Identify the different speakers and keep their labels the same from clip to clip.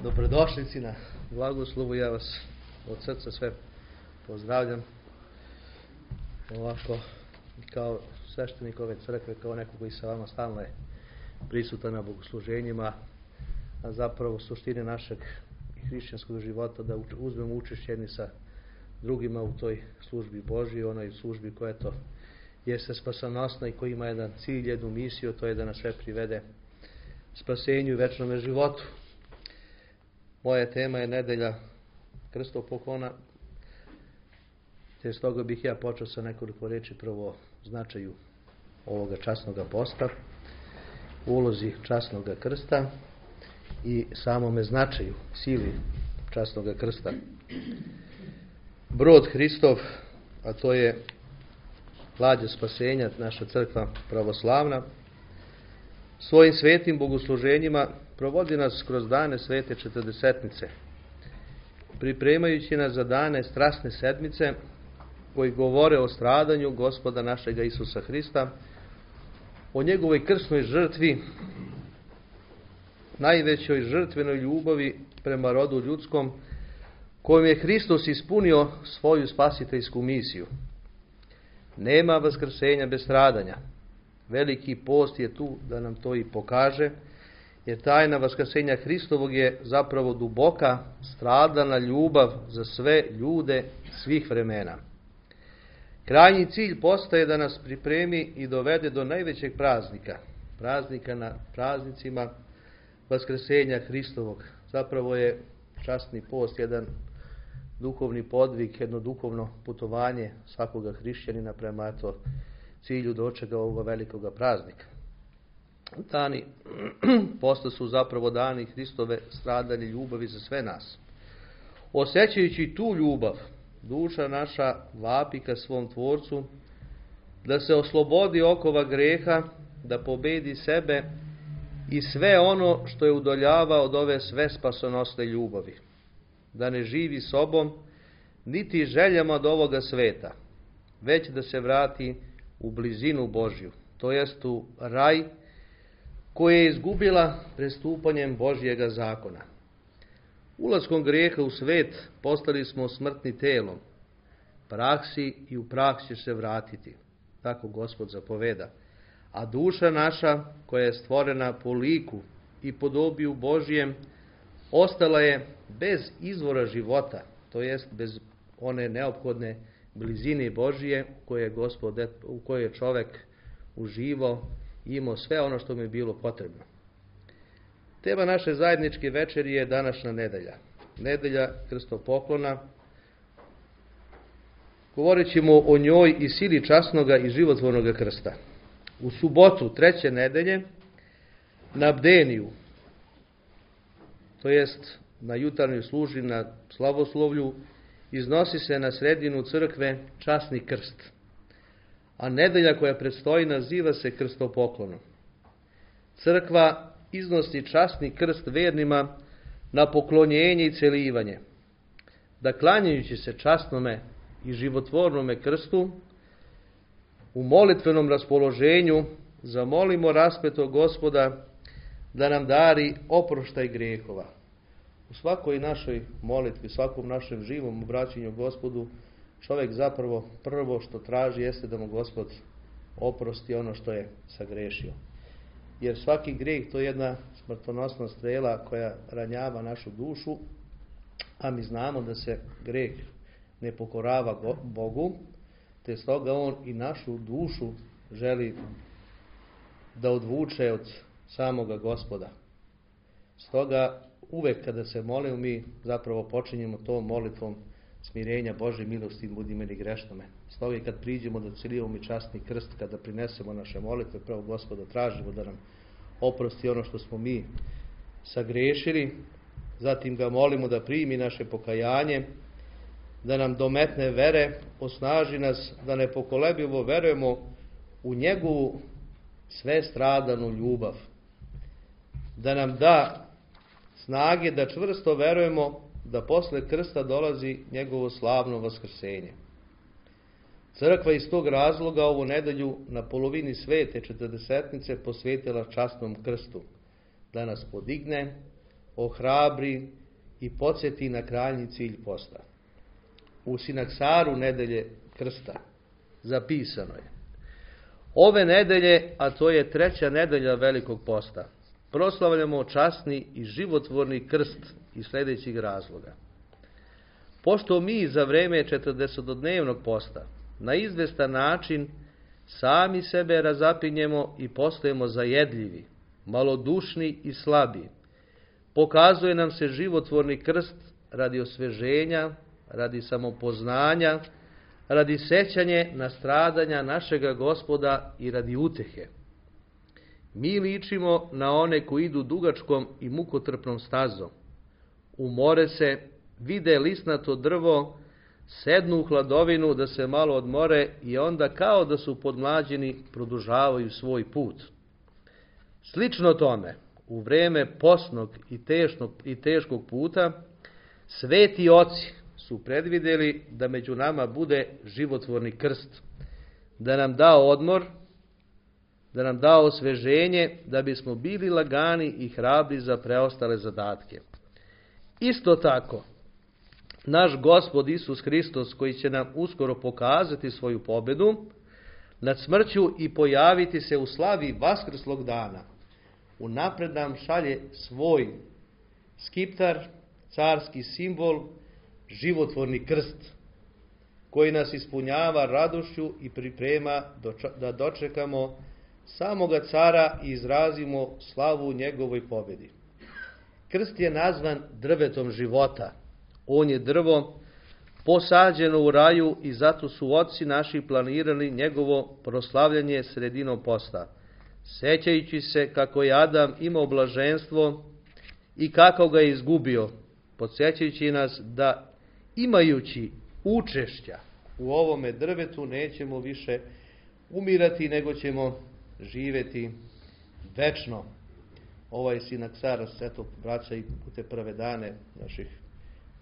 Speaker 1: Dobrodošlici na blagoslovu, ja vas od srca sve pozdravljam. Ovako, kao sveštenik ove crkve, kao neko koji sa vama stalno je prisutan na bogosluženjima, a zapravo suštine našeg hrišćanskog života da uzmemo učešće jedni sa drugima u toj službi Božji, onoj službi koja jeste spasonosna i koja ima jedan cilj, jednu misiju, to je da nas sve privede spasenju i večnome životu. Moja tema je nedelja krstov poklona, te stoga bih ja počeo sa nekoliko reči prvo o značaju ovoga časnog posta, ulozi časnog krsta i samome značaju, sili časnog krsta. Brod Hristov, a to je lađa spasenja, naša crkva pravoslavna, svojim svetim bogosluženjima provodi nas kroz dane svete četrdesetnice, pripremajući nas za dane strasne sedmice koji govore o stradanju Gospoda našega Isusa Hrista, o njegovoj krsnoj žrtvi, najvećoj žrtvenoj ljubavi prema rodu ljudskom, kojom je Hristos ispunio svoju spasiteljsku misiju. Nema vaskrsenja bez stradanja. Veliki post je tu da nam to i pokaže, jer tajna vaskrsenja Hristovog je zapravo duboka, stradana ljubav za sve ljude svih vremena. Krajnji cilj posta je da nas pripremi i dovede do najvećeg praznika na praznicima vaskrsenja Hristovog. Zapravo je časni post jedan duhovni podvig, jedno duhovno putovanje svakoga hrišćanina prema cilju dočega ovoga velikoga praznika. Dani posta su zapravo dani Hristove stradanje ljubavi za sve nas. Osjećajući tu ljubav, duša naša vapi ka svom Tvorcu, da se oslobodi okova greha, da pobedi sebe i sve ono što je udoljava od ove sve spasonosne ljubavi. Da ne živi sobom, niti željama od ovoga sveta, već da se vrati u blizinu Božju, to jest u raj koje je izgubila prestupanjem Božjega zakona. Ulaskom greha u svet postali smo smrtni telom, praksi i u prah će se vratiti, tako Gospod zapoveda. A duša naša, koja je stvorena po liku i podobiju Božjem, ostala je bez izvora života, to jest bez one neophodne blizine Božije u kojoj je čovjek uživao i imao sve ono što mu je bilo potrebno. Tema naše zajedničke večeri je današnja nedelja. Nedelja krstov poklona. Govorit ćemo o njoj i sili časnoga i životvornoga krsta. U subotu treće nedelje na bdeniju, to jest na jutarnjoj službi, na slavoslovlju, iznosi se na sredinu crkve časni krst. A nedelja koja predstoji naziva se krstopoklonom. Crkva iznosi časni krst vernima na poklonjenje i celivanje, da klanjajući se časnome i životvornome krstu, u molitvenom raspoloženju zamolimo raspetog Gospoda da nam dari oproštaj grehova. U svakoj našoj molitvi, svakom našem živom obraćanju Gospodu, čovjek zapravo prvo što traži jeste da mu Gospod oprosti ono što je sagrešio. Jer svaki greh to je jedna smrtonosna strela koja ranjava našu dušu, a mi znamo da se greh ne pokorava Bogu, te stoga on i našu dušu želi da odvuče od samoga Gospoda. Stoga uvek kada se molimo, mi zapravo počinjemo tom molitvom smirenja Božje milosti, budi meni grešnome. Stoga i kad priđemo da celivamo i časni krst, kada prinesemo naše molitve, pravo Gospoda tražimo da nam oprosti ono što smo mi sagrešili, zatim ga molimo da primi naše pokajanje, da nam dometne vere, osnaži nas da nepokolebljivo verujemo u njegovu sve stradanu ljubav, da nam da snage da čvrsto verujemo da posle krsta dolazi njegovo slavno vaskrsenje. Crkva iz tog razloga ovu nedelju na polovini svete četrdesetnice posvetila časnom krstu, da nas podigne, ohrabri i podsjeti na krajnji cilj posta. U Sinaksaru nedelje krsta zapisano je: ove nedelje, a to je 3. nedelja Velikog posta, proslavljamo časni i životvorni krst iz sljedećih razloga. Pošto mi za vreme 40-dnevnog posta na izvestan način sami sebe razapinjemo i postajemo zajedljivi, malodušni i slabi, pokazuje nam se životvorni krst radi osveženja, radi samopoznanja, radi sećanje na stradanja našega Gospoda i radi utehe. Mi ličimo na one koji idu dugačkom i mukotrpnom stazom, umore se, vide lisnato drvo, sednu u hladovinu da se malo odmore i onda kao da su podmlađeni produžavaju svoj put. Slično tome, u vreme posnog i teškog puta, sveti oci su predvidjeli da među nama bude životvorni krst, da nam da odmor, da nam da osveženje, da bismo bili lagani i hrabri za preostale zadatke. Isto tako, naš Gospod Isus Hristos, koji će nam uskoro pokazati svoju pobedu nad smrću i pojaviti se u slavi vaskrslog dana, unapred nam šalje svoj skiptar, carski simbol, životvorni krst, koji nas ispunjava radošću i priprema da dočekamo samoga cara i izrazimo slavu njegovoj pobjedi. Krst je nazvan drvetom života. On je drvo posađeno u raju i zato su oci naši planirali njegovo proslavljanje sredinom posta, sećajući se kako je Adam imao blaženstvo i kako ga je izgubio, podsjećajući nas da imajući učešća u ovome drvetu nećemo više umirati, nego ćemo živjeti večno. Ovaj Sinaksar se to vraća i u te prve dane naših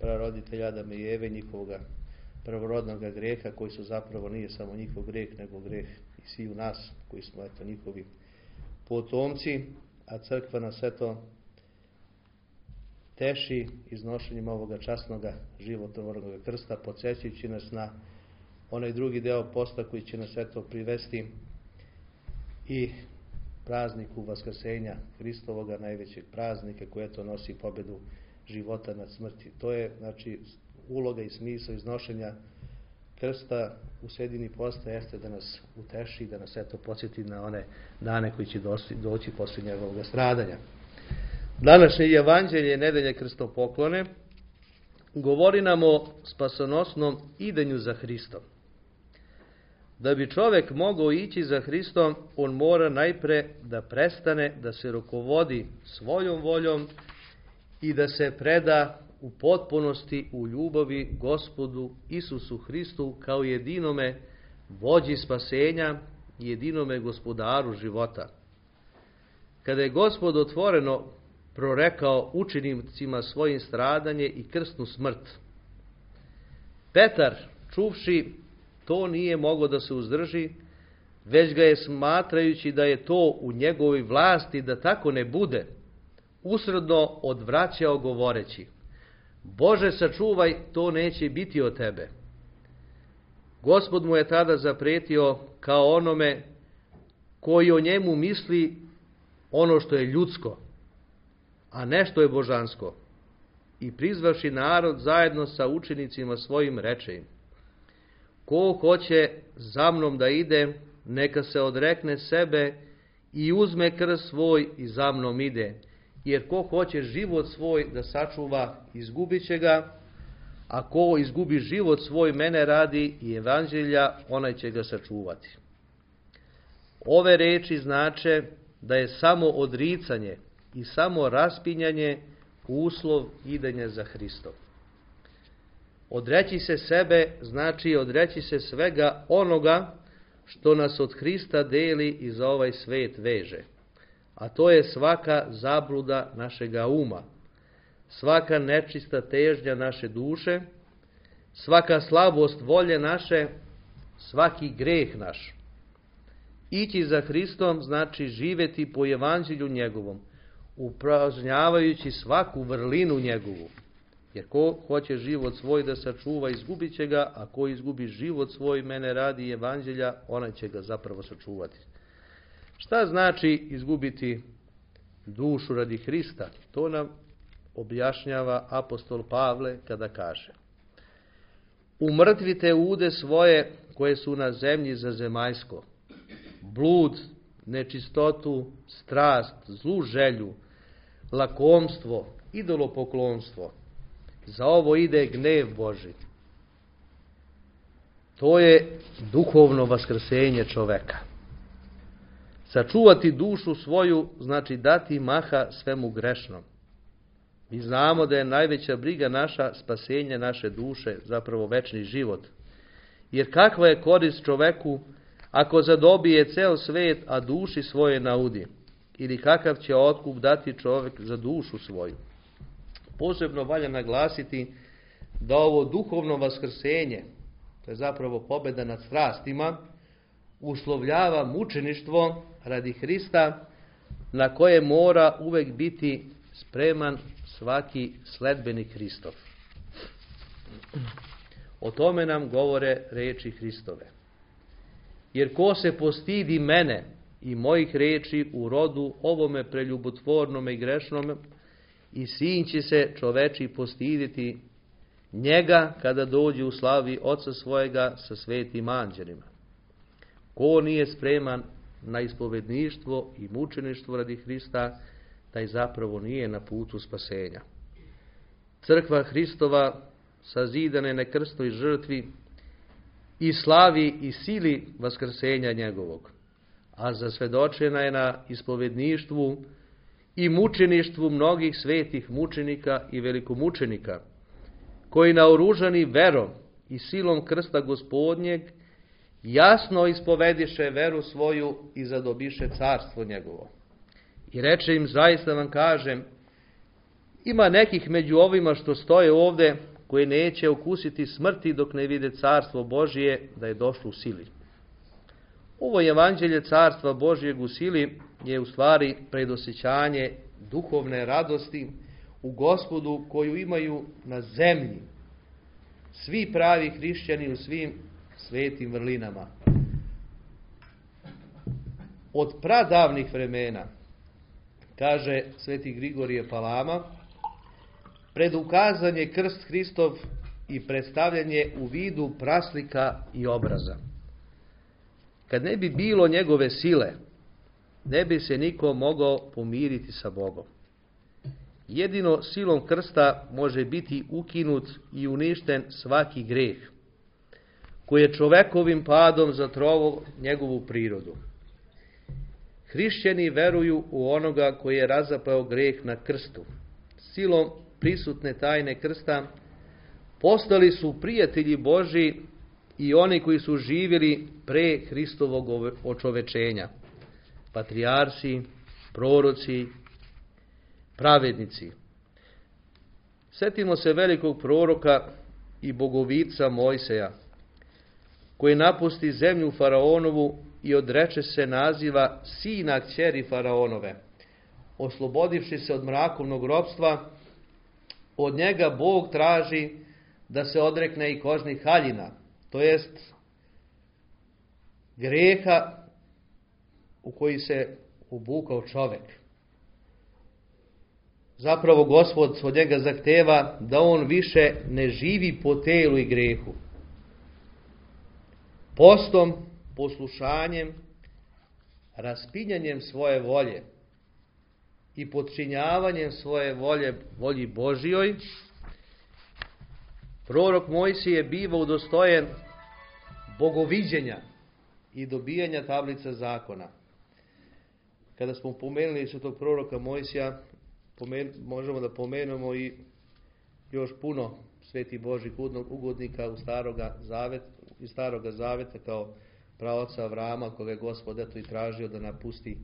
Speaker 1: praroditelja Adama i Eve, njihovoga prvorodnog greha, koji su zapravo nije samo njihov greh, nego greh i svi u nas, koji smo njihovi potomci, a crkva nas teši iznošenjem ovoga časnoga životvornog krsta, podsjećajući nas na onaj drugi deo posta koji će nas privesti i prazniku Vaskrsenja Hristovoga, najvećeg praznika koji nosi pobedu života nad smrti. To je uloga i smisao iznošenja krsta u sredini posta, jeste da nas uteši, da nas podsjeti na one dane koji će doći poslije njegovog stradanja. Današnje evanđelje nedelje krstopoklone govori nam o spasonosnom idenju za Hristom. Da bi čovjek mogao ići za Hristom, on mora najpre da prestane da se rukovodi svojom voljom i da se preda u potpunosti u ljubavi Gospodu Isusu Hristu kao jedinome vođi spasenja i jedinome gospodaru života. Kada je Gospod otvoreno prorekao učenicima svojim stradanje i krstnu smrt, Petar, čuvši to, nije mogao da se uzdrži, već ga je, smatrajući da je to u njegovoj vlasti da tako ne bude, usredno odvraćao govoreći: Bože, sačuvaj, to neće biti od tebe. Gospod mu je tada zapretio kao onome koji o njemu misli ono što je ljudsko, a ne što je božansko. I prizvavši narod zajedno sa učenicima svojim, reče im: Ko hoće za mnom da ide, neka se odrekne sebe i uzme krst svoj i za mnom ide. Jer ko hoće život svoj da sačuva, izgubit će ga, a ko izgubi život svoj mene radi i evanđelja, onaj će ga sačuvati. Ove reči znače da je samo odricanje i samo raspinjanje uslov idenja za Hristom. Odreći se sebe znači odreći se svega onoga što nas od Hrista deli i za ovaj svet veže. A to je svaka zabluda našega uma, svaka nečista težnja naše duše, svaka slabost volje naše, svaki greh naš. Ići za Hristom znači živjeti po evanđelju njegovom, upražnjavajući svaku vrlinu njegovu. Jer ko hoće život svoj da sačuva, izgubit će ga, a ko izgubi život svoj mene radi evanđelja, onaj će ga zapravo sačuvati. Šta znači izgubiti dušu radi Hrista? To nam objašnjava apostol Pavle kada kaže: umrtvite ude svoje koje su na zemlji za zemaljsko, blud, nečistotu, strast, zlu želju, lakomstvo, idolopoklonstvo. Za ovo ide gnev Božji. To je duhovno vaskrsenje čoveka. Sačuvati dušu svoju znači dati maha svemu grešnom. Mi znamo da je najveća briga naša spasenje naše duše, zapravo večni život. Jer kakva je korist čoveku ako zadobije ceo svet, a duši svoje naudi? Ili kakav će otkup dati čovjek za dušu svoju? Posebno valja naglasiti da ovo duhovno vaskrsenje, to je zapravo pobjeda nad strastima, uslovljava mučeništvo radi Hrista, na koje mora uvek biti spreman svaki sledbenik Hristov. O tome nam govore reči Hristove. Jer ko se postidi mene i mojih reči u rodu ovome preljubotvornome i grešnome, i sin će se čoveči postiditi njega kada dođe u slavi Oca svojega sa svetim anđelima. Ko nije spreman na ispovedništvo i mučeništvo radi Hrista, taj zapravo nije na putu spasenja. Crkva Hristova sazidana je na krstnoj žrtvi i slavi i sili vaskrsenja njegovog, a zasvedočena je na ispovedništvu i mučeništvu mnogih svetih mučenika i velikomučenika, koji naoružani verom i silom krsta Gospodnjeg jasno ispovediše veru svoju i zadobiše carstvo njegovo. I reče im, zaista vam kažem, ima nekih među ovima što stoje ovde, koji neće okusiti smrti dok ne vide carstvo Božije da je došlo u sili. Ovo evanđelje carstva Božijeg u sili je u stvari predosjećanje duhovne radosti u Gospodu koju imaju na zemlji svi pravi hrišćani u svim svetim vrlinama. Od pradavnih vremena, kaže sveti Grigorije Palama, predukazan je krst Hristov i predstavljanje u vidu praslika i obraza. Kad ne bi bilo njegove sile, ne bi se niko mogao pomiriti sa Bogom. Jedino silom krsta može biti ukinut i uništen svaki greh, koji je čovekovim padom zatrovao njegovu prirodu. Hrišćani veruju u onoga koji je razapao greh na krstu. Silom prisutne tajne krsta postali su prijatelji Božji i oni koji su živjeli pre Hristovog očovečenja. Patrijarsi, proroci, pravednici. Setimo se velikog proroka i bogovica Mojseja, koji napusti zemlju Faraonovu i odreče se naziva sina kćeri Faraonove. Oslobodivši se od mrakovnog ropstva, od njega Bog traži da se odrekne i kožnih haljina, to jest greha u koji se obukao čovek. Zapravo Gospod od njega zahteva da on više ne živi po telu i grehu. Postom, poslušanjem, raspinjanjem svoje volje i podčinjavanjem svoje volje volji Božjoj, prorok Mojsije je bivao udostojen bogoviđenja i dobijanja tablica zakona. Kada smo pomenuli svetog proroka Mojsija, možemo da pomenemo i još puno svetih Božjih ugodnika iz Staroga Zaveta, kao praoca Avrama, koga je Gospod eto i tražio da napusti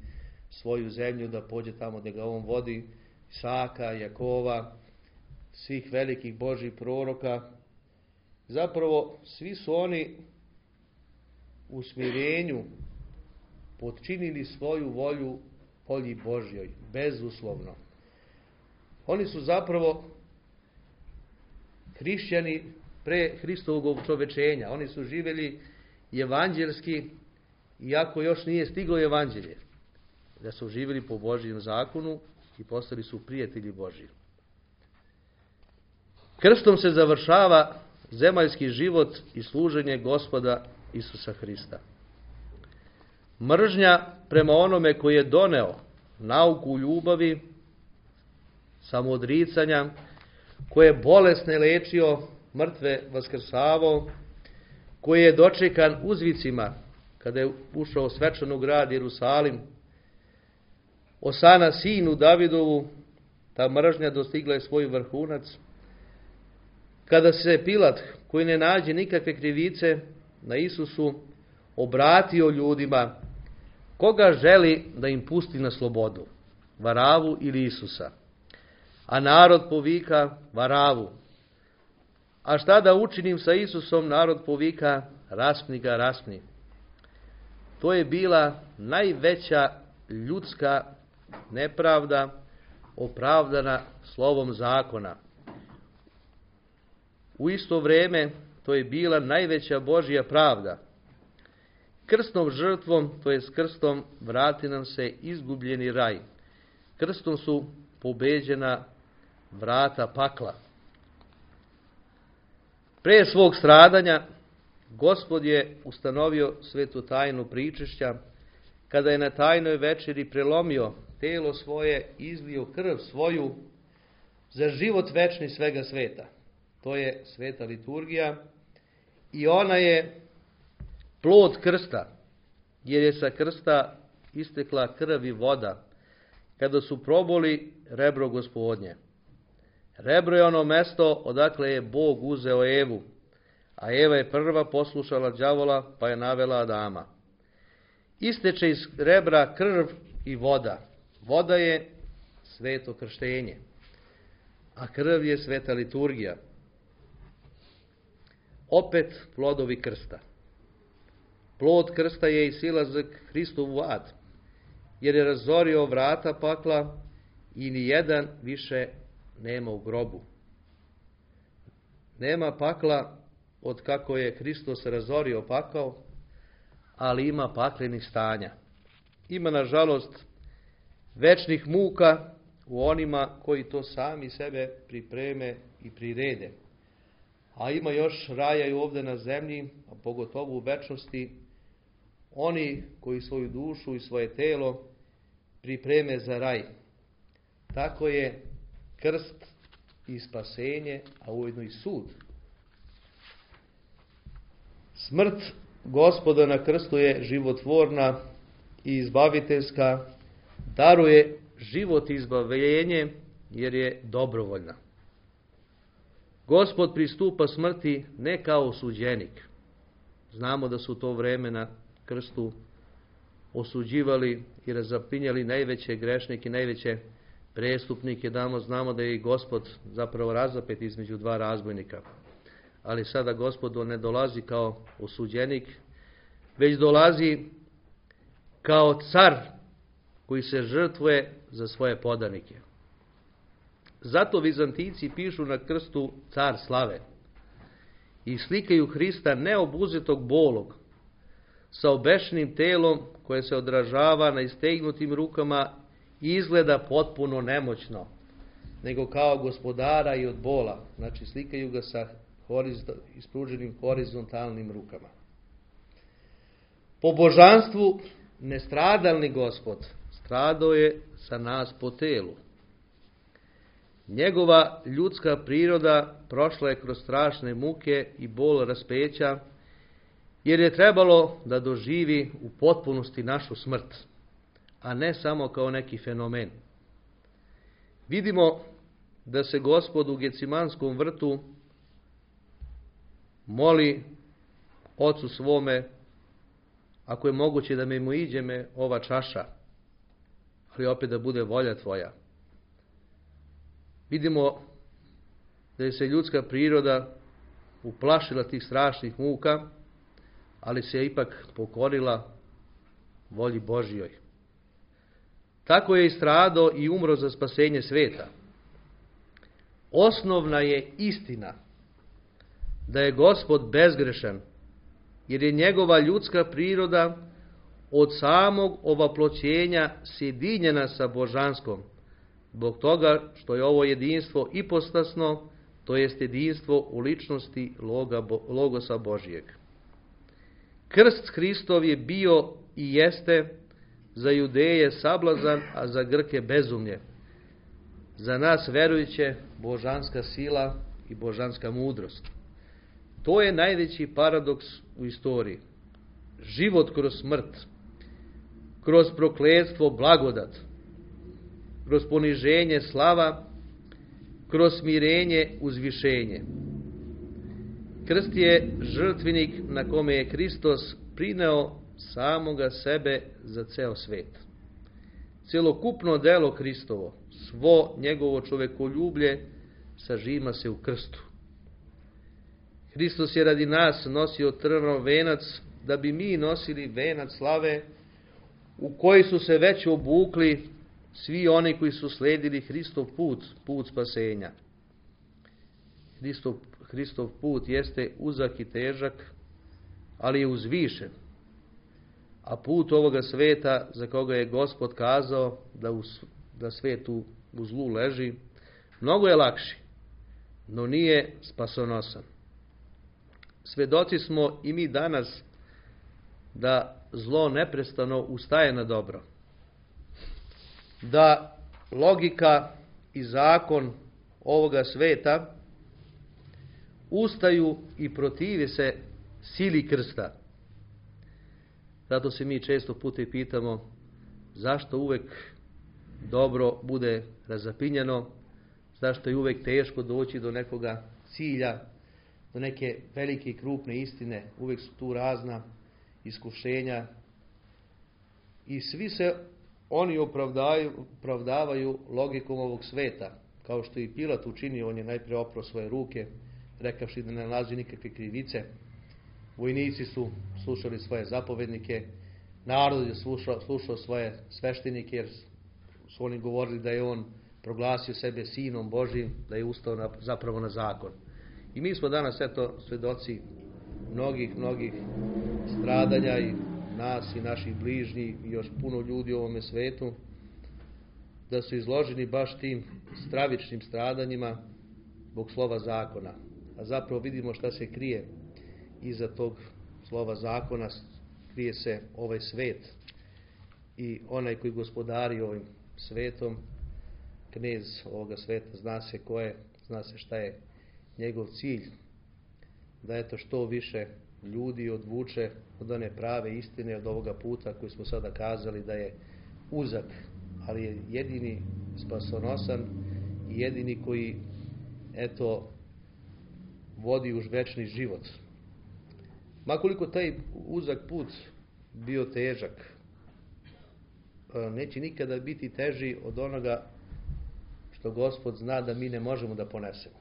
Speaker 1: svoju zemlju, da pođe tamo gdje ga on vodi, Isaka, Jakova, svih velikih Božjih proroka. Zapravo svi su oni u smirenju potčinili svoju volju volji Božjoj, bezuslovno. Oni su zapravo hrišćani pre Hristovog učovečenja. Oni su živjeli evanđelski, iako još nije stiglo evanđelje. Da su živjeli po Božjem zakonu i postali su prijatelji Božji. Krstom se završava zemaljski život i služenje Gospoda Isusa Hrista. Mržnja prema onome koji je doneo nauku ljubavi, samoodricanja, koji je bolesne lečio, mrtve vaskrsavao, koji je dočekan uzvicima kada je ušao u svečanu grad Jerusalim, Osana sinu Davidovu, ta mržnja dostigla je svoj vrhunac. Kada se Pilat, koji ne nađe nikakve krivice na Isusu, obratio ljudima, koga želi da im pusti na slobodu, Varavu ili Isusa? A narod povika, Varavu. A šta da učinim sa Isusom? Narod povika, raspni ga, raspni. To je bila najveća ljudska nepravda opravdana slovom zakona. U isto vrijeme to je bila najveća Božja pravda. Krstnom žrtvom, to je s krstom, vrati nam se izgubljeni raj. Krstom su pobeđena vrata pakla. Pre svog stradanja Gospod je ustanovio svetu tajnu pričešća, kada je na tajnoj večeri prelomio telo svoje, izlio krv svoju za život večni svega sveta. To je sveta liturgija i ona je plod krsta, jer je sa krsta istekla krv i voda, kada su proboli rebro Gospodnje. Rebro je ono mesto odakle je Bog uzeo Evu, a Eva je prva poslušala đavola, pa je navela Adama. Isteče iz rebra krv i voda. Voda je sveto krštenje, a krv je sveta liturgija. Opet plodovi krsta. Plod krsta je i silazak Hristov u ad, jer je razorio vrata pakla i ni jedan više nema u grobu. Nema pakla od kako je Hristos razorio pakao, ali ima paklenih stanja. Ima, nažalost, večnih muka u onima koji to sami sebe pripreme i prirede. A ima još raja i ovdje na zemlji, a pogotovo u večnosti, oni koji svoju dušu i svoje telo pripreme za raj. Tako je krst i spasenje, a ujedno i sud. Smrt Gospoda na krstu je životvorna i izbaviteljska, daruje život i izbavljenje jer je dobrovoljna. Gospod pristupa smrti ne kao osuđenik. Znamo da su to vreme na krstu osuđivali i razapinjali najveće grešnike, najveće prestupnike. Znamo da je i Gospod zapravo razapet između dva razbojnika. Ali sada Gospod ne dolazi kao osuđenik, već dolazi kao car koji se žrtvuje za svoje podanike. Zato Vizantijci pišu na krstu car slave i slikaju Hrista neobuzetog bolog, sa obešenim telom koje se odražava na istegnutim rukama i izgleda potpuno nemoćno, nego kao gospodara i od bola. Znači slikaju ga sa ispruženim horizontalnim rukama. Po božanstvu nestradalni Gospod stradao je sa nas po telu. Njegova ljudska priroda prošla je kroz strašne muke i bol raspeća, jer je trebalo da doživi u potpunosti našu smrt, a ne samo kao neki fenomen. Vidimo da se Gospod u Gecimanskom vrtu moli Ocu svome, ako je moguće da mi iđe me ova čaša, ali opet da bude volja tvoja. Vidimo da je se ljudska priroda uplašila tih strašnih muka, ali se je ipak pokorila volji Božjoj. tako je i stradao i umro za spasenje sveta. Osnovna je istina da je Gospod bezgrešan, jer je njegova ljudska priroda od samog ovaploćenja sjedinjena sa božanskom, zbog toga što je ovo jedinstvo ipostasno, to jest jedinstvo u ličnosti Logosa Božijeg. Krst Hristov je bio i jeste za Judeje sablazan, a za Grke bezumlje. Za nas verujuće božanska sila i božanska mudrost. To je najveći paradoks u istoriji. Život kroz smrt, kroz prokletstvo blagodat, kroz poniženje slava, kroz smirenje uzvišenje. Krst je žrtvenik na kome je Hristos prineo samoga sebe za ceo svet. Celokupno delo Hristovo, svo njegovo čovekoljublje sažima se u krstu. Hristos je radi nas nosio trnov venac, da bi mi nosili venac slave u koji su se već obukli svi oni koji su sledili Hristov put, put spasenja. Hristov put jeste uzak i težak, ali je uzvišen. A put ovoga sveta, za koga je Gospod kazao da svet u zlu leži, mnogo je lakši, no nije spasonosan. Svedoci smo i mi danas da zlo neprestano ustaje na dobro. Da logika i zakon ovoga sveta ustaju i protive se sili krsta. Zato se mi često puta i pitamo zašto uvek dobro bude razapinjeno, zašto je uvek teško doći do nekoga cilja, do neke velike i krupne istine, uvek su tu razna iskušenja i svi se oni opravdavaju logikom ovog sveta, kao što i Pilat učinio. On je najprije oprao svoje ruke, rekavši da ne nalazi nikakve krivice. Vojnici su slušali svoje zapovednike, narod je slušao svoje sveštenike, jer su oni govorili da je on proglasio sebe sinom Božijim, da je ustao zapravo na zakon. I mi smo danas svedoci mnogih stradanja i nas i naših bližnjih i još puno ljudi u ovome svetu, da su izloženi baš tim stravičnim stradanjima zbog slova zakona. A zapravo vidimo šta se krije iza tog slova zakona. Krije se ovaj svet i onaj koji gospodari ovim svetom, knez ovoga sveta, zna se ko je, zna se šta je njegov cilj, da što više ljudi odvuče od one prave istine, od ovoga puta koji smo sada kazali da je uzak, ali je jedini spasonosan i jedini koji vodi u večni život. Makoliko taj uzak put bio težak, neće nikada biti teži od onoga što Gospod zna da mi ne možemo da ponesemo.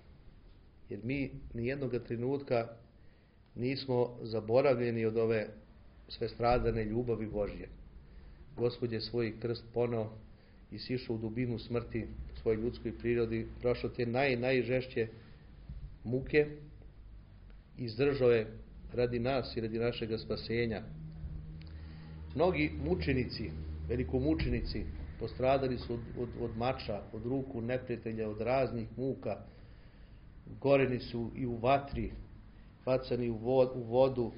Speaker 1: Jer mi nijednog trenutka nismo zaboravljeni od ove svestradane ljubavi Božje. Gospod je svoj krst poneo i sišao u dubinu smrti u svojoj ljudskoj prirodi, prošao te najžešće muke, izdržao je radi nas i radi našeg spasenja. Mnogi mučenici, velikomučenici, postradali su od mača, od ruku neprijatelja, od raznih muka, goreni su i u vatri, bacani u vodu.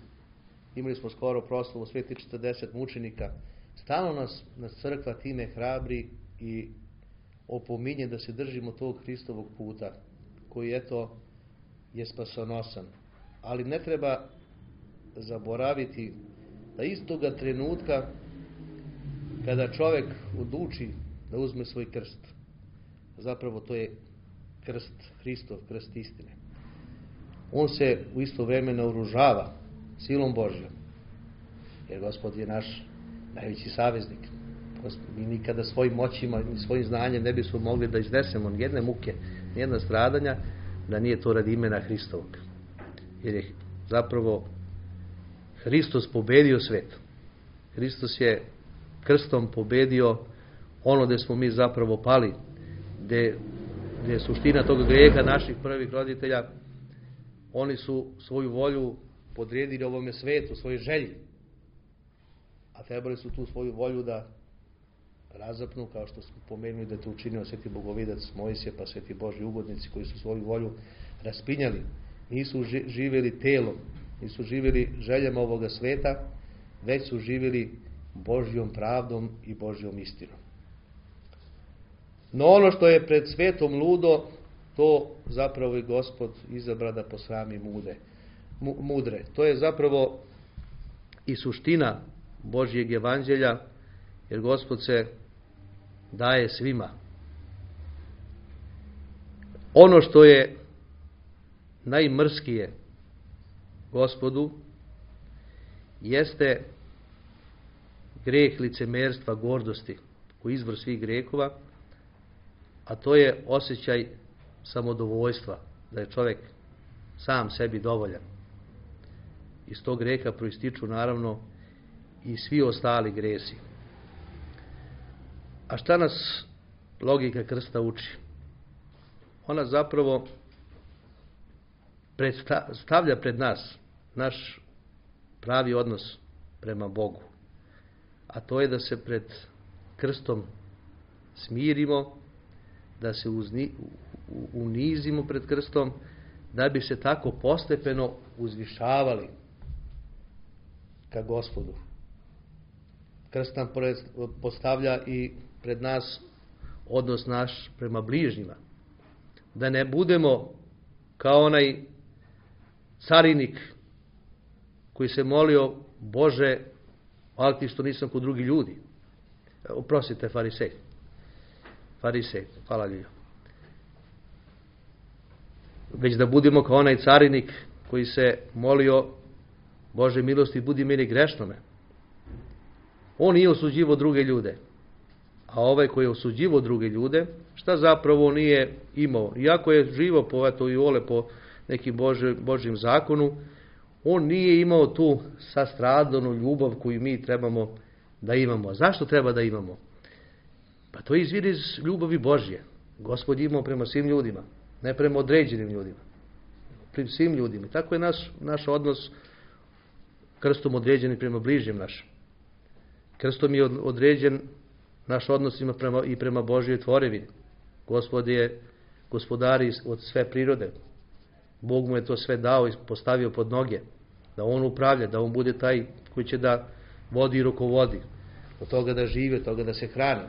Speaker 1: Imali smo skoro proslavu sveti 40 mučenika. Stalno nas crkva time hrabri i opominje da se držimo tog Hristovog puta, koji je spasonosan. Ali ne treba zaboraviti da istoga trenutka kada čovjek odluči da uzme svoj krst, zapravo to je krst Hristov, krst istine. On se u isto vrijeme naoružava silom Božjom, jer Gospod je naš najveći saveznik. Mi nikada svojim moćima i svojim znanjem ne bismo mogli da iznesemo nijedne muke, nijedna stradanja, da nije to radi imena Hristovog. Jer je zapravo Hristos pobedio svet. Hristos je krstom pobedio ono gdje smo mi zapravo pali, gdje je suština tog grijeha naših prvih roditelja. Oni su svoju volju podredili ovome svetu, svoje želji. A trebali su tu svoju volju da razapnu, kao što smo pomenuli da je to učinio sveti bogovidac Mojsije, pa sveti Božji ugodnici koji su svoju volju raspinjali. Nisu živjeli telom, nisu živjeli željama ovoga sveta, već su živjeli Božjom pravdom i Božjom istinom. No ono što je pred svetom ludo, to zapravo i Gospod izabra da posrami mudre. To je zapravo i suština Božjeg evanđelja, jer Gospod se daje svima. Ono što je najmrskije Gospodu jeste greh licemerstva, gordosti, koji je izvor svih grehova, a to je osjećaj samodovoljstva, da je čovjek sam sebi dovoljan. Iz tog greha proističu naravno i svi ostali gresi. A šta nas logika krsta uči? Ona zapravo stavlja pred nas naš pravi odnos prema Bogu. A to je da se pred krstom smirimo, da se unizimo pred krstom, da bi se tako postepeno uzvišavali ka Gospodu. Krst nam postavlja i pred nas odnos naš prema bližnjima. Da ne budemo kao onaj carinik koji se molio: Bože, hvala ti što nisam kod drugi ljudi. Oprostite, farisej. Farisej, hvala Ljujo. Već da budemo kao onaj carinik koji se molio: Bože milosti, budi meni grešnome. On nije osuđivo druge ljude. A ovaj koji je osuđivo druge ljude, šta zapravo nije imao? Iako je živo i vole po nekim Božjim zakonu, on nije imao tu sastradanu ljubav koju mi trebamo da imamo. A zašto treba da imamo? Pa to izvire iz ljubavi Božje. Gospod je imao prema svim ljudima, ne prema određenim ljudima. Prema svim ljudima. Tako je naš odnos krstom određen prema bližnjem našem. Krstom je određen naš odnos i prema Božjoj tvorevini. Gospod je gospodar od sve prirode. Bog mu je to sve dao i postavio pod noge. Da on upravlja, da on bude taj koji će da vodi i rukovodi. Od toga da žive, od toga da se hrani.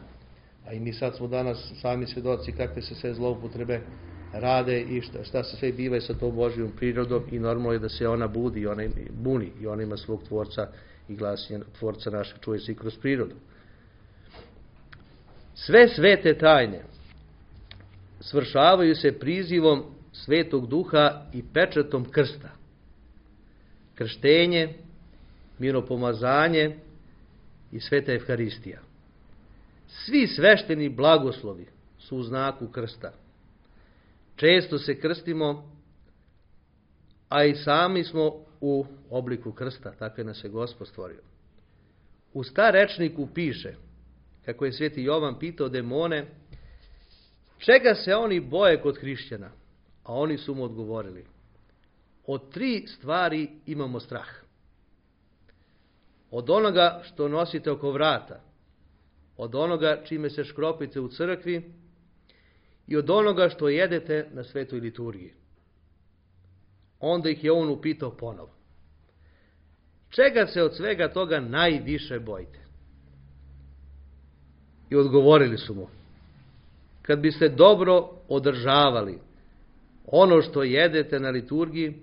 Speaker 1: A i mi sad smo danas sami svjedoci kakve se sve zloupotrebe rade i šta se sve biva sa tom Božjom prirodom, i normalno je da se ona budi i ona buni i ona ima svog tvorca i glasinja tvorca našeg čuje se i kroz prirodu. Sve svete tajne svršavaju se prizivom Svetog Duha i pečatom krsta. Krštenje, miropomazanje i sveta Evharistija. Svi svešteni blagoslovi su u znaku krsta. Često se krstimo, a i sami smo u obliku krsta, tako je nas je Gospod stvorio. U starečniku piše, kako je sveti Jovan pitao demone, čega se oni boje kod hrišćana? A oni su mu odgovorili: od 3 stvari imamo strah. Od onoga što nosite oko vrata, od onoga čime se škropite u crkvi i od onoga što jedete na svetoj liturgiji. Onda ih je on upitao ponovo: čega se od svega toga najviše bojite? I odgovorili su mu: kad biste dobro održavali ono što jedete na liturgiji,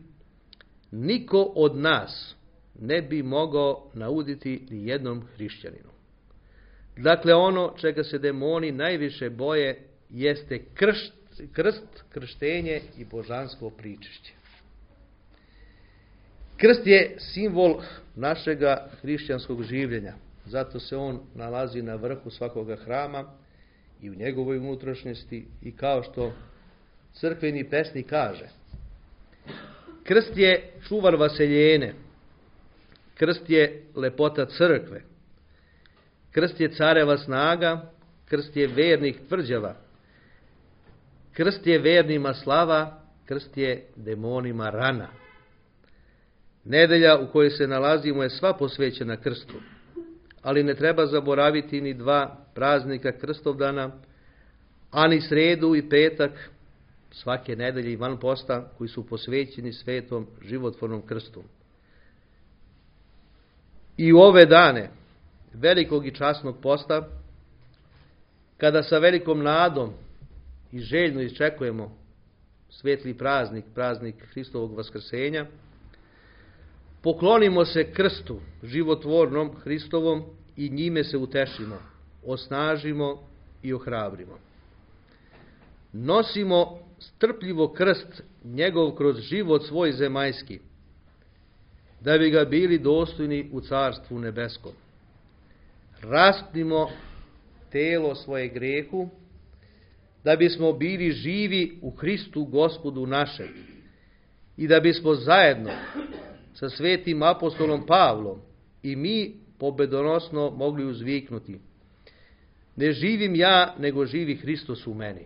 Speaker 1: niko od nas ne bi mogao nauditi ni jednom hrišćaninu. Dakle, ono čega se demoni najviše boje jeste krst, krštenje i božansko pričešće. Krst je simbol našega hrišćanskog življenja. Zato se on nalazi na vrhu svakoga hrama i u njegovoj unutrašnjosti, i kao što crkveni pesnik kaže: krst je čuvar vaseljene, krst je lepota crkve, krst je careva snaga, krst je vernih tvrđava, krst je vernima slava, krst je demonima rana. Nedelja u kojoj se nalazimo je sva posvećena krstu, ali ne treba zaboraviti ni dva praznika Krstovdana, ani sredu i petak svake nedelje i van posta koji su posvećeni svetom životvornom krstu. I u ove dane velikog i časnog posta, kada sa velikom nadom i željno iščekujemo svetli praznik, praznik Hristovog vaskrsenja, poklonimo se krstu životvornom Hristovom i njime se utešimo, osnažimo i ohrabrimo. Nosimo strpljivo krst njegov kroz život svoj zemaljski, da bi ga bili dostojni u carstvu nebeskom. Raspnimo telo svoje grehu, da bismo bili živi u Hristu Gospodu našem i da bismo zajedno sa svetim apostolom Pavlom i mi pobedonosno mogli uzviknuti: ne živim ja, nego živi Hristos u meni.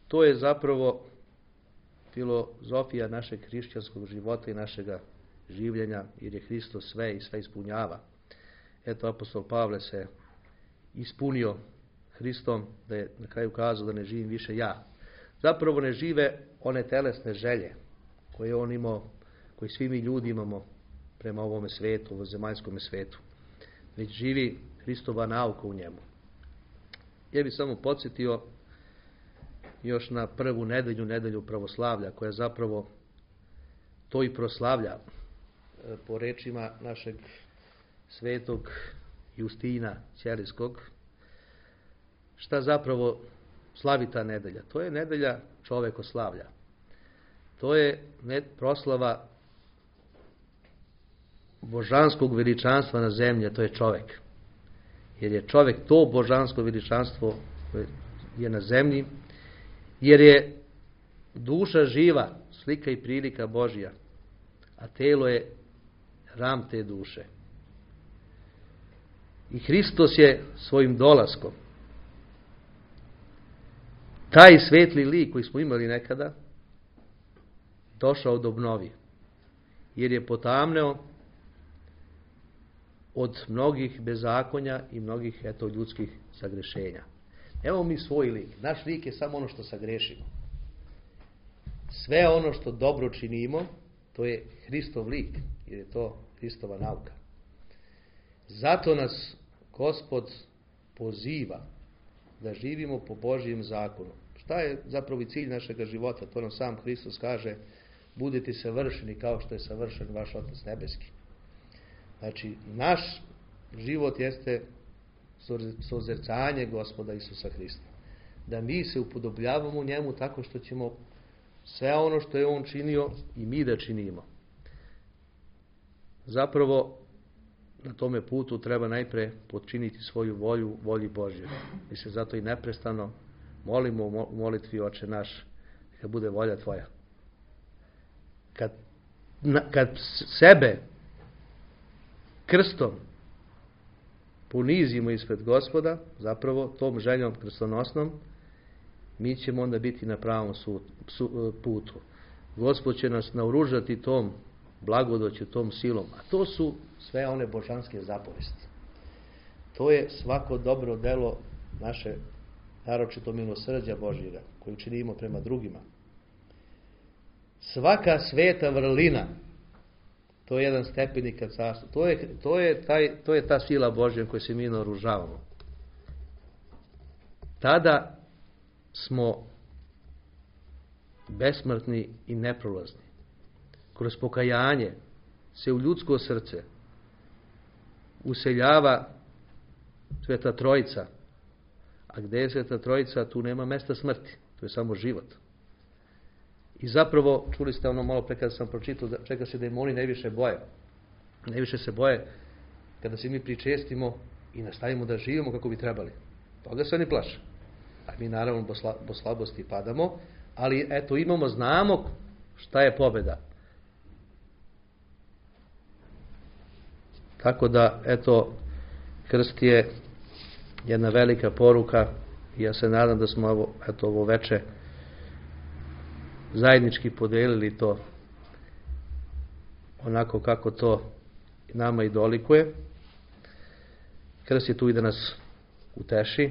Speaker 1: To je zapravo filozofija našeg hrišćanskog života i našega življenja, jer je Hristos sve i sve ispunjava. Eto, apostol Pavle se ispunio Hristom, da je na kraju kazao da ne živim više ja. Zapravo ne žive one telesne želje koje on imao, koje svi mi ljudi imamo prema ovome svetu, ovom zemaljskom svetu, već živi Hristova nauka u njemu. Ja bih samo podsjetio još na prvu nedelju, nedelju pravoslavlja, koja zapravo to i proslavlja po rečima našeg svetog Justina Ćelijskog. Šta zapravo slavi ta nedelja? To je nedelja čovekoslavlja. To je proslava božanskog veličanstva na zemlji, to je čovek. Jer je čovek to božansko veličanstvo je na zemlji, jer je duša živa, slika i prilika Božja, a telo je ram te duše. I Hristos je svojim dolaskom taj svetli lik koji smo imali nekada došao da obnovi, jer je potamneo od mnogih bezakonja i mnogih ljudskih sagrešenja. Evo mi svoj lik. Naš lik je samo ono što sagrešimo. Sve ono što dobro činimo, to je Hristov lik, jer je to Hristova nauka. Zato nas Gospod poziva da živimo po Božjem zakonu. Šta je zapravo i cilj našega života? To nam sam Hristos kaže: budite savršeni kao što je savršen vaš Otac nebeski. Znači, naš život jeste sozercanje Gospoda Isusa Hrista. Da mi se upodobljavamo njemu tako što ćemo sve ono što je on činio i mi da činimo. Zapravo, na tome putu treba najpre podčiniti svoju volju volji Božje. Mi se zato i neprestano molimo u molitvi: Oče naš, neka bude volja tvoja. Kad sebe krstom ponizimo ispred Gospoda, zapravo tom željom krstonosnom, mi ćemo onda biti na pravom putu. Gospod će nas naoružati tom blagodoću, tom silom. A to su sve one božanske zapovesti. To je svako dobro delo naše, naročito milosrđa Božjega, koju činimo prema drugima. Svaka sveta vrlina, to je jedan stepenik ka carstvu. To je ta sila Božja koju se mi naoružavamo. Tada smo besmrtni i neprolazni. Kroz pokajanje se u ljudsko srce useljava Sveta Trojica. A gdje je Sveta Trojica, tu nema mesta smrti. To je samo život. I zapravo, čuli ste ono malo pre kada sam pročitao, čega se demoni najviše boje. Najviše se boje kada se mi pričestimo i nastavimo da živimo kako bi trebali. Toga se oni plaše. A mi naravno po slabosti padamo, ali eto znamo šta je pobjeda. Tako da, eto, krst je jedna velika poruka i ja se nadam da smo ovo veče zajednički podelili to onako kako to nama i dolikuje. Krst je tu i da nas uteši,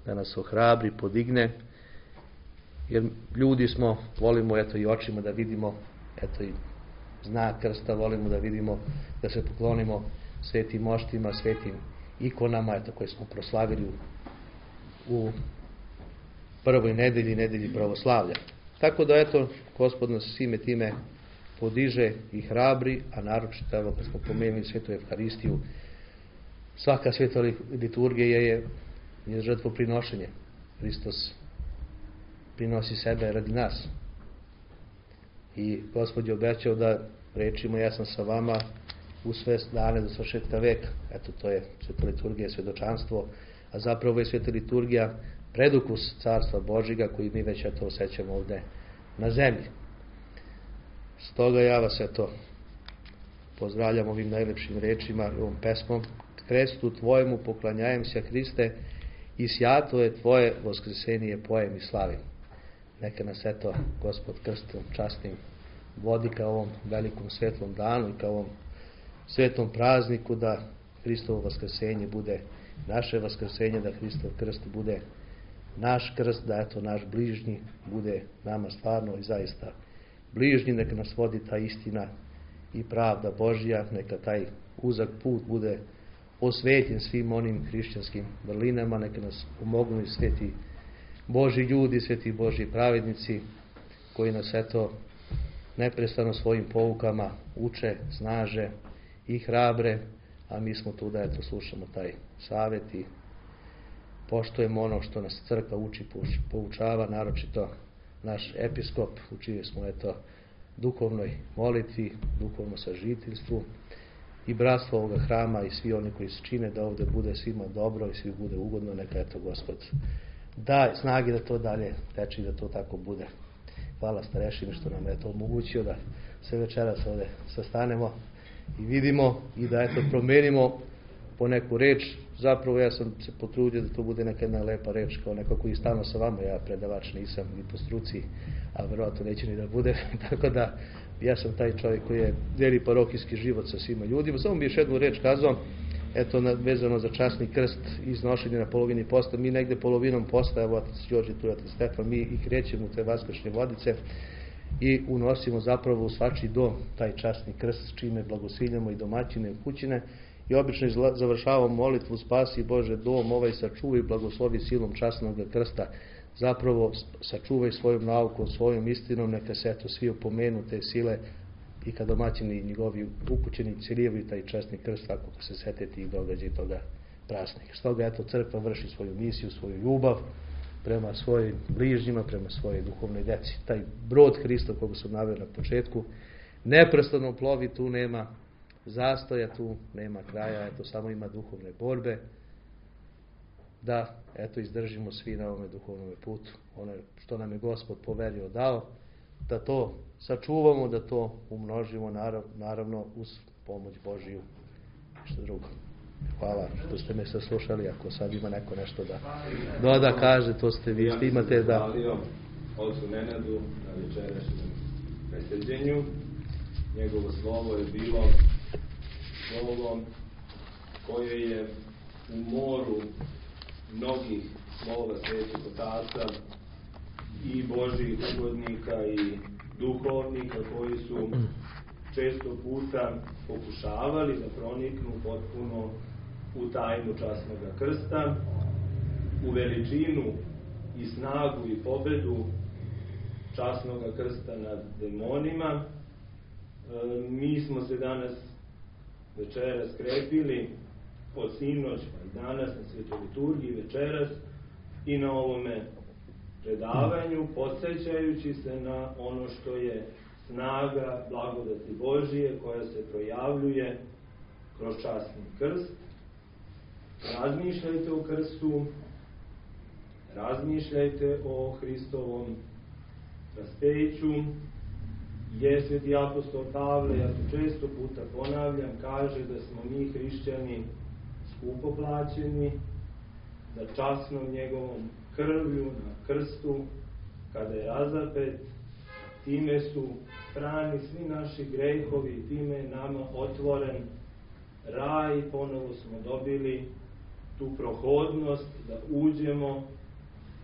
Speaker 1: da nas ohrabri, podigne, jer ljudi smo, volimo i očima da vidimo i znak krsta, volimo da vidimo, da se poklonimo svetim moštima, svetim ikonama koje smo proslavili u prvoj nedelji pravoslavlja. Tako da Gospod nas svime time podiže i hrabri, a naročito kad smo pomenuli svetu Evharistiju, svaka sveta liturgija je žrtvoprinošenje. Hristos prinosi sebe radi nas. I Gospod je obećao da rečima ja sam sa vama u sve dane do svršetka veka. To je sveta liturgija, svedočanstvo, a zapravo je sveta liturgija predukus Carstva Božjega koji mi već osjećamo ovdje na zemlji. Stoga ja vas pozdravljam ovim najlepšim rečima i ovom pesmom. Krestu tvojemu poklanjajem se, Hriste, i sjato je tvoje voskresenije pojem i slavim. Neka nas Gospod krstom časnim vodi ka ovom velikom svetlom danu i ka ovom svetom prazniku, da Hristovo vaskresenje bude naše vaskresenje, da Hristov krst bude naš krst, da naš bližnji bude nama stvarno i zaista bližnji. Neka nas vodi ta istina i pravda Božja, neka taj uzak put bude osvetljen svim onim hrišćanskim vrlinama, neka nas pomognu i sveti Božji ljudi, sveti Božji pravednici koji nas neprestano svojim poukama uče, snaže i hrabre, a mi smo tu da slušamo taj savjet i poštujemo ono što nas crkva uči, poučava, naročito naš episkop, učili smo duhovnoj molitvi, duhovnom sažiteljstvu i bratstvo ovoga hrama i svi oni koji se čine da ovdje bude svima dobro i svi bude ugodno. Neka Gospod da snage da to dalje teče i da to tako bude. Hvala starešini što nam je to omogućio da se večeras ovdje sastanemo i vidimo i da promenimo po neku reč. Zapravo ja sam se potrudio da to bude neka jedna lepa reč, kao neko koji stalno sa vama, ja predavač nisam ni po struci, a verovatno neće ni da bude, tako da ja sam taj čovjek koji je deli parohijski život sa svima ljudima. Samo bi još jednu reč kazao, vezano za časni krst i iznošenje na polovini posta. Mi negde polovinom posta, evo otac Đorđe, tu je otac Stefan, mi i krećemo u te vaskršnje vodice i unosimo zapravo u svačiji dom taj časni krst, čime blagosiljamo i domaćine i kućine. I obično završavamo molitvu: spasi Bože dom ovaj, sačuvaj i blagoslovi silom časnog krsta. Zapravo sačuvaj svojom naukom, svojom istinom, neka se svi opomenu te sile i kad domaćini i njegovi ukućeni ciljevaju taj časni krst, ako se sete tih događaja i toga praznika. Stoga crkva vrši svoju misiju, svoju ljubav prema svojim bližnjima, prema svojoj duhovnoj deci. Taj brod Hrista koga sam naveo na početku neprestano plovi, tu nema zastoja, tu nema kraja, samo ima duhovne borbe, da izdržimo svi na ovome duhovnom putu. Ono što nam je Gospod poverio, dao, da to sačuvamo, da to umnožimo, naravno uz pomoć Božiju, što drugo. Hvala što ste me saslušali. Ako sad ima neko nešto da doda, kaže, to ste vi, što imate da...
Speaker 2: Ja sam se ocu Nenadu na večerašnjem preseđenju. Njegovo slovo je bilo slovo koje je u moru mnogih slova svetih otaca i Božjih ugodnika i duhovnika koji su često puta pokušavali da proniknu potpuno u tajnu časnog krsta, u veličinu i snagu i pobedu časnog krsta nad demonima. Mi smo se danas večeras krepili od sinoć pa i danas na svetoj liturgiji večeras i na ovome predavanju, podsjećajući se na ono što je snaga blagodati Božije koja se projavljuje kroz časni krst. Razmišljajte o krstu, razmišljajte o Hristovom raspeću. Je sveti apostol Pavle, ja to često puta ponavljam, kaže da smo mi hrišćani skupo plaćeni, da časnom njegovom krvlju na krstu, kada je razapet, time su strani svi naši grehovi, time je nama otvoren raj, ponovo smo dobili tu prohodnost da uđemo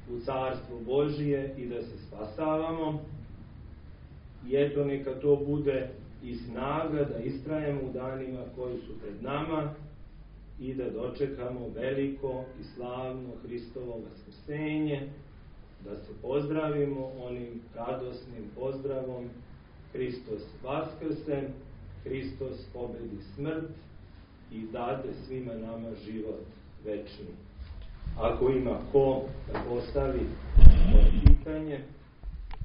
Speaker 2: u Carstvo Božije i da se spasavamo. I eto, neka to bude i snaga da istrajemo u danima koji su pred nama i da dočekamo veliko i slavno Hristovo vaskrsenje, da se pozdravimo onim radosnim pozdravom: Hristos vaskrsen, Hristos pobedi smrt i dade svima nama život večni. Ako ima ko da postavi moje pitanje,